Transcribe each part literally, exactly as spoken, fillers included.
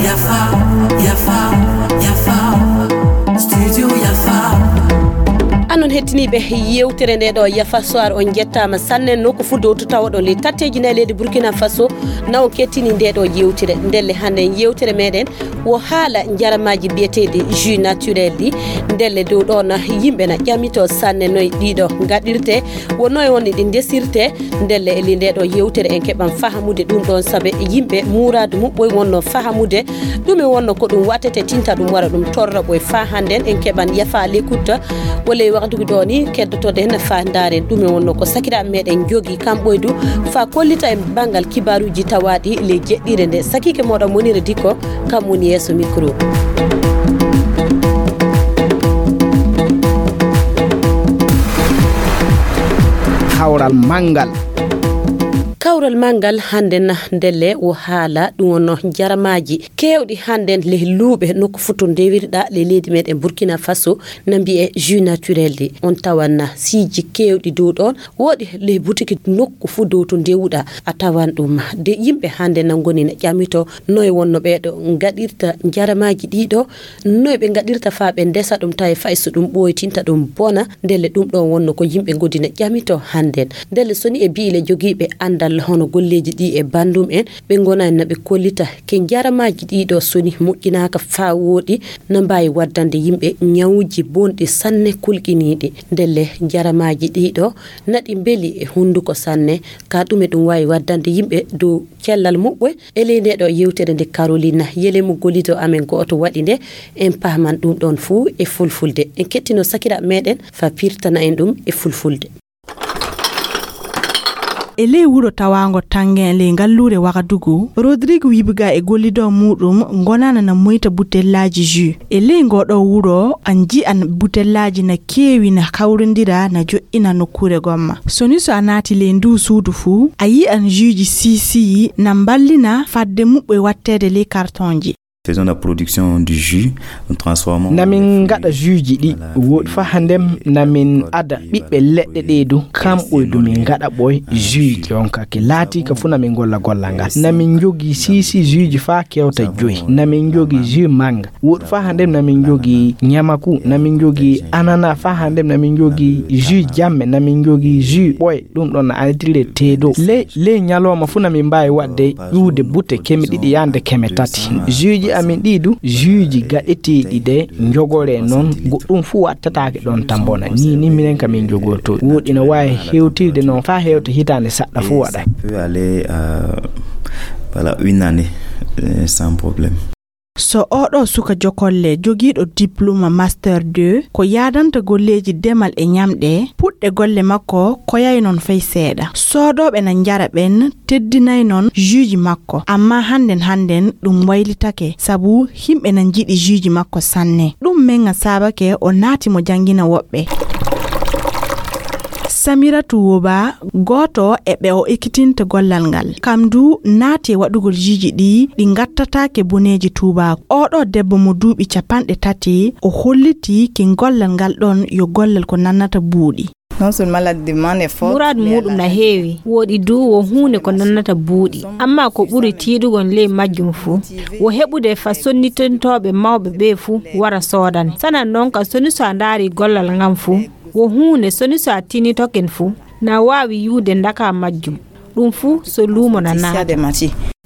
Yafa, yafa, yafa. Studio yafa. Anon hettiniiɓe yewtere nde ɗo Yafa Soir, on jettaama sanne. Nokku fuu dowto tawoɗon ley tatteeji nayi leydi Burkina Faso, na on kettini nde ɗo yewtere. Ndelle hannde yewtere meɗen wo haala njaramaaji biyeteeɗi jus naturel ɗi. Ndelle dow ɗo na yimɓe na ƴamito sanne noy ɗiɗo ngaɗirte, wo noy woni ɗi ndesirte. Ndelle e ley nde ɗo yewtere en keɓan fahamude ɗum ɗon, sabe yimɓe muraadu muɓɓoy wonno fahamude ɗume wonno ko ɗum wattete tinta ɗum wara ɗum torra ɓoy. Fa hannden en keɓan Yafa Lekutta walla e waktuki ɗo ni keddotoɗen fa ndaaren ɗume wonno ko sakiraaɓe meɗen jogi kam ɓoydu fa kollita en banngal kibaaruuji tawaaɗi ley jeɗɗire nde. Sakiike moɗon Monira Dikko, kam woni yeeso micro. Kawral manngal. Kawral manngal hannden na ndelle wo haala ɗum wonno njaramaaji keewɗi hannden ley luuɓe nokku fuu to ndewirɗa ley leydi meɗen Burkina Faso na mbiye jus naturel ɗi. On tawan na siiji keewɗi dow ɗon. Woɗi ley butiki nokku fuu dow to ndewuɗa a tawan ɗum. De yimɓe hannde na ngoni na ƴamito noy wonno ɓeeɗo ngaɗirta njaramaaji ɗiɗo, noy ɓe ngaɗirta faa ɓe ndesa ɗum tawi fay so ɗum ɓooytinta ɗum bona. Ndelle ɗum ɗon wonno ko yimɓe ngodi na ƴamito hannden. Ndelle so ni e biile jogiiɓe anndal hono golleeji ɗi e banndum en, ɓe ngonani na ɓe kollita ke njaramaaji ɗiɗo so ni moƴƴinaaka faa wooɗi na mbaawi waddande yimɓe ñawuuji bonɗi sanne kulkiniiɗi. Ndelle njaramaaji ɗiɗo naɗi mbeli e hunnduko sanne. Ka ɗume ɗum waawi waddande yimɓe dow cellal muɓɓoy? E ley nde ɗo yewtere nde Carolina Yelemu gollido amen gooto waɗi nde, en paaman ɗum ɗon fuu e fulfulde. En kettino sakiraaɓe meɗen fa pirtana en ɗum e fulfulde. E ley wuro tawaango Tangen ley ngalluure Wagadugu, Rodrigue Wibiga e gollido muɗum ngonana na moyta butellaaji jus. E ley ngoo ɗoo wuro, an ji'an butellaaji na keewi na kawrindira na jo'ina nokkuure gomma. So ni so a naati ley nduu suudu fuu, a yi'an juuji siisiyi na mballina fadde muɓɓoy watteede ley kartonji. Faisons la production du jus, nous transformons. Namin ngaɗa juuji ɗi woɗi fa handem namin ada ɓiɓɓe leɗɗe ɗe du kamɓoy du min ngaɗa ɓoy juuji. Jonka ke laati ka fu namin golla golla ngal. Namin jogi sisi juuji fa kewta joyi. Namin jogi jus manga. Woɗi fa handem namin jogi ñamaku, namin jogi anana fa handem namin jogi jus jamme, namin jogi jus ɓoy. Ɗum ɗon na anitiri le teedo. Ley, ley ñalooma fu namin mbaawi waɗde ƴuwde bute keme ɗiɗi yaande keme tati. Juuji amin ɗi du, juuji gaɗeteeɗi de njogoree noon, goɗɗum fu wattataake ɗon tambona. Ni, ni minen ka min jogorto. Woɗi na waawi hewtirde noon faa hewta hitaande saɗɗa fu waɗa. Ça peut aller, euh, voilà, une année, euh, sans problème. So oɗo suka jokolle jogiiɗo diplôme master deux ko yaadanta golleeji demal e ñamɗe, puɗɗe golle makko koyay noon fay seeɗa. Soodooɓe na njara ɓen teddinay noon juuji makko, amma hannden hannden ɗum waylitake sabu himɓe na njiɗi juuji makko sanne. Ɗum men ŋa saabake o naati mo janngina woɓɓe. Samiratu Woba, gooto e ɓe o ekkitinta gollal ngal. Kam du naati e waɗugol juuji ɗi, ɗi ngattataake boneeji tuubaaku. Oɗo debbo mo duuɓi capanɗe tati, o hollitii ki gollal ngal ɗon yo gollal ko nannata buuɗi. Non seulement la demande est forte, muraadu muɗum na heewi, woɗi du wo huunde ko nannata buuɗi. Amma ko ɓuri tiiɗugol ley majjum fuu, wo heɓude fa sonnitintooɓe mawɓe ɓe fuu wara soodane. Sanan noon ka soni so a ndaari gollal ngal fuu, wo huunde soni so a tinitoken fuu, na waawi yuude ndaka majjum. Ɗum fuu so luumo na naata.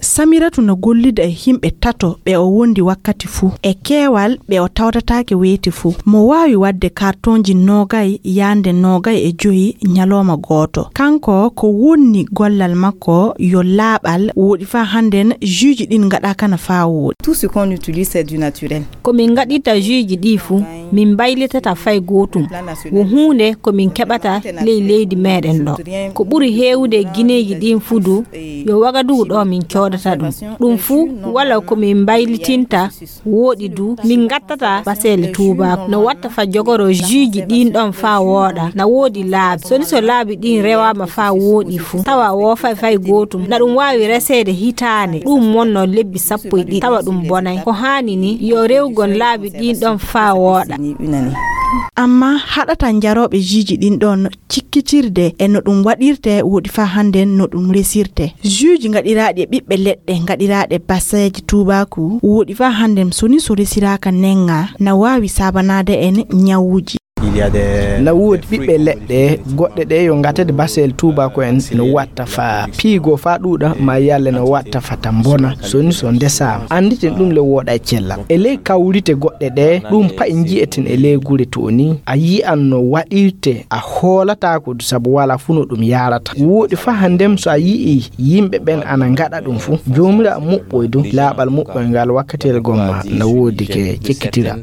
Samiratu na gollida e himɓe tato ɓe o wondi wakkati fuu. E keewal ɓe o tawtataake weeti fuu. Mo waawi waɗde kartonji noogay yaande noogay e joyi ñalooma gooto. Kanko ko wonni gollal makko yo laaɓal woɗi faa hannden juuji ɗin ngaɗaaka na faa wooɗi. Tout ce qu'on utilise, c'est du naturel. Ko min ngaɗirta juuji ɗi fuu, min mbaylitata fay gootum. Wo huunde ko min keɓata ley leydi meɗen ɗo. Ko ɓuri heewude e gineeji ɗin fuu du, yo Wagadugu ɗo min coodata ɗum. Ɗum fuu wala ko min mbaylitinta, woɗi du, min ngattata baseele tuubaaku. No watta fa jogoro juuji ɗin ɗon faa wooɗa, na woodi laabi. Soni so laabi ɗin rewaama faa wooɗi fuu, tawa woofay fay gootum, na ɗum waawi reseede hitaande, ɗum wonno lebbi sappo e ɗiɗi, tawa ɗum bonay. Ko haani ni, yo rewgon laabi ɗin ɗon faa wooɗa. Amma haɗata jarooɓe juuji ɗin ɗon cikkitirde e no ɗum waɗirte woɗi faa hannden no ɗum resirte. Juuji gaɗiraaɗi e ɓiɓɓe leɗɗe gaɗiraaɗe baseeje tuubaaku woɗi faa hannden so ni so resiraaka nenga na waawi saabanaade en ñawuuji. Na woodi ɓiɓɓe leɗɗe goɗɗe ɗe yo ngatede basel tuubaaku en no watta fa piigo fa ɗuuɗa ma yalle no watta fa ta mbona so ni so ndesaama. Annditen ɗum le wooɗa e cellal. E ley kawrite goɗɗe ɗe ɗum pa'i nji'eten e ley gure to ni a yi'an no waɗirte a hoolataako du sabu wala fu no ɗum yarata. Wooɗi fa hanndem so a yi'i yimɓe ɓen ana ngaɗa ɗum fu, Joomiraaɗo muɓɓoy du laaɓal muɓɓoy ngal wakkatiyel gomma na woodi ke cekkitira.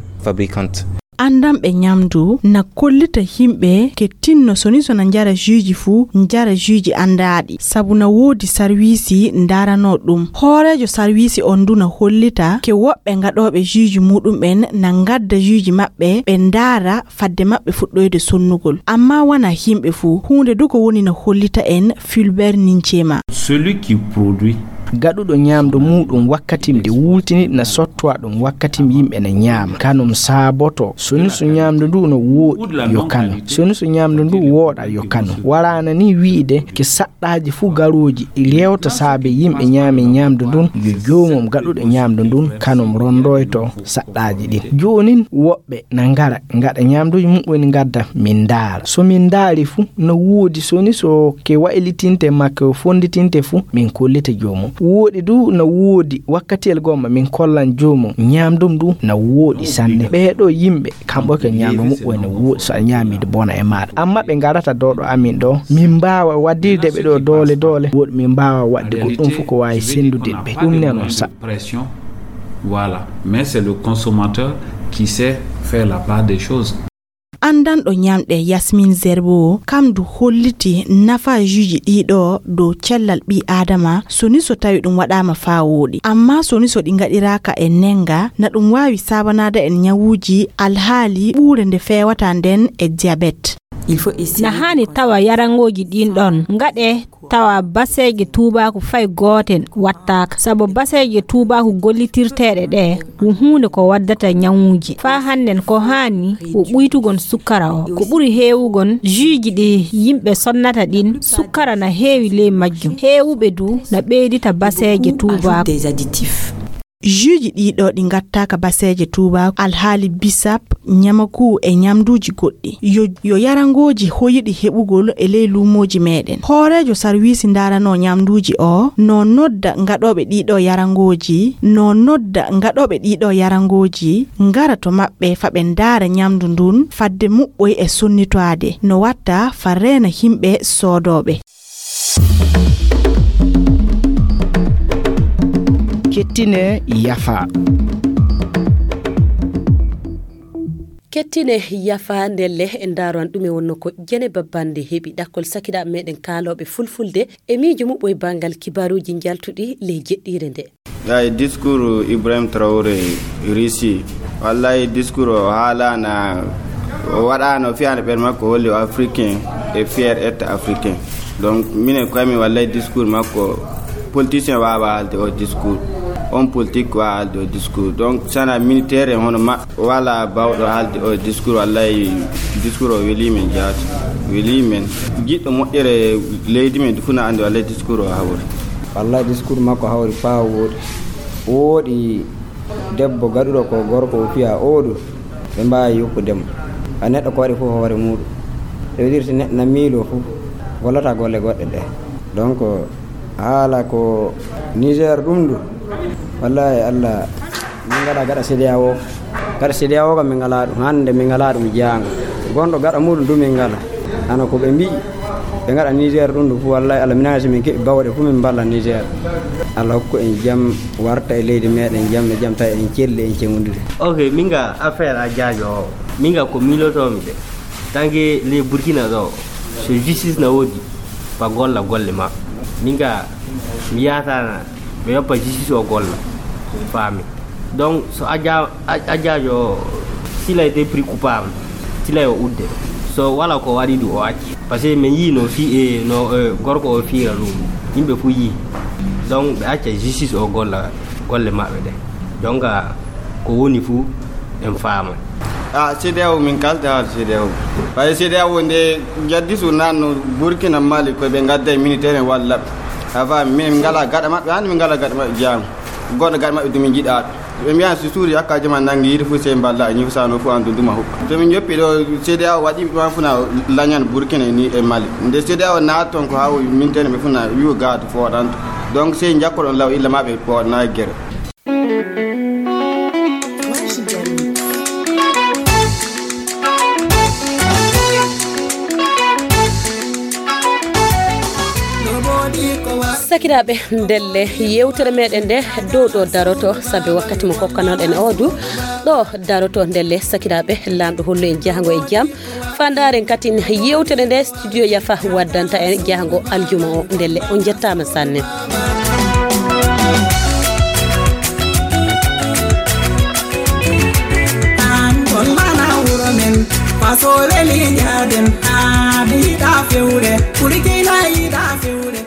Anndanɓe ñamdu na kollita yimɓe ke tinno so ni so na njara juuji fuu, njara juuji anndaaɗi, sabu na woodi sarwiisi ndaaranoo ɗum. Hooreejo sarwiisi on du na hollita ke woɓɓe ngaɗooɓe juuji muuɗum'en na ngadda juuji maɓɓe, ɓe ndaara fadde maɓɓe fuɗɗoyde sonnugol. Amma wanaa yimɓe fuu. Huunde du ko woni na hollita en Fulbert Ninchema. Celui qui produit. Gaɗuɗo ñaamdu muuɗum wakkatim ɗi wultini na sottowa ɗum wakkatim yimɓe na ñaama. Kanum saaboto so ni so ñaamdu ndu no wooɗi yo kanu. So ni so ñaamdu ndu wooɗa yo kanu. Waraana ni wi'ide ke saɗɗaaji fuu garooji rewta saabe yimɓe ñaami ñaamdu ndun yo joomum gaɗuɗo ñaamdu ndun kanum rondoyto saɗɗaaji ɗin. Joonin woɓɓe na ngara ngaɗa ñaamduuji muɓɓen ngadda min ndaara. So min ndaari fu no woodi so ni so ke waylitinte ma ke fonnditinte fu min kollita joomum. Wooɗi du no woodi wakkatiyel gomma min kollan joomum ñaamdum du no wooɗi sanne. Ɓee ɗoo yimɓe kamɓe ko ñaamdu muɓɓen no wooɗi so a ñaamii du bona e maaɗa. Amma ɓe ngarata dow ɗo amin ɗo min mbaawa waddirde ɓe ɗo doole doole. Wooɗi min mbaawa waɗde goɗɗum fof ko waawi senndude ɓe. Ɗum ne non sa. Voilà. Mais c'est le consommateur qui sait faire la part des choses. Anndanɗo ñamɗe Yasmin Zerbo kam du holliti nafaajuuji ɗii ɗoo dow cellal ɓii aadama so ni so tawi ɗum waɗaama faa wooɗi. Amma so ni so ɗi ngaɗiraaka e nennga na ɗum waawi saabanaade en ñawuuji alhaali ɓuure nde feewata nden e diabète. Na haani tawa yarangooji ɗin ɗon ngaɗe tawa baseeje tuubaaku fay gooten wattaaka, sabu baseeje tuubaaku gollitirteeɗe ɗe ko huunde ko waddata ñawuuji. Faa hannden ko haani ko ɓuytugol sukkara o. Ko ɓuri heewugol juuji ɗi yimɓe sonnata ɗin, sukkara na heewi ley majjum. Heewuɓe du na ɓeydita baseeje tuubaaku. Juuji ɗii ɗoo ɗi ngattaaka baseeje tuubaaku, alhaali bisap, ñamaku e ñamduuji goɗɗi. Yo, yo yarangooji hoyiɗi heɓugol e ley luumooji meeɗen. Hooreejo sarwiisi ndaaranoo ñamduuji o no nodda ngaɗooɓe ɗii ɗoo yarangooji, no nodda ngaɗooɓe ɗii ɗoo yarangooji ngara to maɓɓe fa ɓe ndaara ñamdu ndun fadde muɓɓoy e sonnitoade no watta fa reena yimɓe soodooɓe. Kettine yafa. Kettine yafa ndelle e ndaaro an ɗume wonno ko jene babbande heɓi ɗakkol sakiraaɓe meɗen kaalooɓe fulfulde e miijo muɓɓo e banngal kibaaruuji njaltuɗi ley jeɗɗiire nde. Ay discours Ibrahim Traoré Russie. Wallahi discours o haalana o waɗano fiyande ɓen makko holli o africain e fier être africain. Donc minen koye min wallahi discours makko politicien wawa haalde o discours, on politique wawa haalde o discours. Donc sana militaire en hono maɓɓe wala bawɗo haalde o discours. Wallahi discours o weli men jaati, weli men. Jiɗɗo moƴƴere leydi men fuu na andi wallahi discours o hawri. Wallahi discours makko hawri faa wooɗi. Wooɗi debbo gaɗuɗo ko gorko o fiya oɗo, ɓe mbaawi yoppude mo. A neɗɗo ko waɗi fof hoore muuɗum. Ça veut dire si neɗɗo na miiloo fof, gollata golle goɗɗe ɗe. Donc haala ko Niger ɗum ɗo, wallahi Allah, min ngaɗa gaɗa C D A O. Gaɗa C D A O kam min ngalaa ɗum, hannde min ngalaa ɗum jaango. Gonɗo gaɗa muuɗum ɗum min ngalaa. Hano ko ɓe mbi'i, ɓe ngaɗa Niger ɗum ɗum fof, wallahi Allah, minen si min keɓi bawɗe fof min mballa Niger. Allah hokku en jam, warta e leydi meɗen jam e jam, tawi en celli, en cengondiri. Ok, min ga affaire a jaajo o, min ga ko miilotomi de. Tanke ley Burkina ɗo, so justice na woodi, fa golla golle ma. Min ga mi yahata ɓe yoppa justice o golla, faami. Donc so a ja-, a, a jaajo o, s'il a été pris coupable, s'il a yo udde. So wala ko waɗi ɗum o acci. Parce que min yii no fi, e, no, e, gorko o fiira ɗum. Yimɓe fof yii. Donc ɓe acca justice o golla golle maɓɓe ɗe. Donc ko woni fof en faama. A, CEDEAO, min kalda haala CEDEAO. Ɓay CEDEAO nde jaddi so nanno Burkina, Mali, ko ɓe ngadda e militaire en walla ɓe. Afa, min min ngala gaɗa maɓɓe, hannde min ngala gaɗa maɓɓe jam. Goɗɗo gaɗa maɓɓe dumi jiɗaaɗo. Ɓe mbiyan so suudu yakka jama nangi yiide fof sey mballa e ñifa sano fof an dunduma huɓɓa. To min joppi ɗo CEDEAO waɗi ɓe ɗuman funa lañan Burkina ni e Mali. Nde CEDEAO naat toon ko haa o militaire ɓe funa wi'o gaado fooɗanto. Donc sey jakkoɗon law illa ma ɓe pooɗana e gere. Sakiraaɓe, ndelle yewtere meɗen nde dow ɗo daroto, sabi wakkati mo kokkanoɗen o du ɗo daroto. Ndelle sakiraaɓe, Laamɗo hollu en jahango e jam. Fandaren katin yewtere nde studio Yafa waddanta en jahango aljuma o. Ndelle on jettama sanne. An kon mana wuro men, fasoɓe lijaden, haa mi yiɗa fewre, kulkina yiɗa fewre.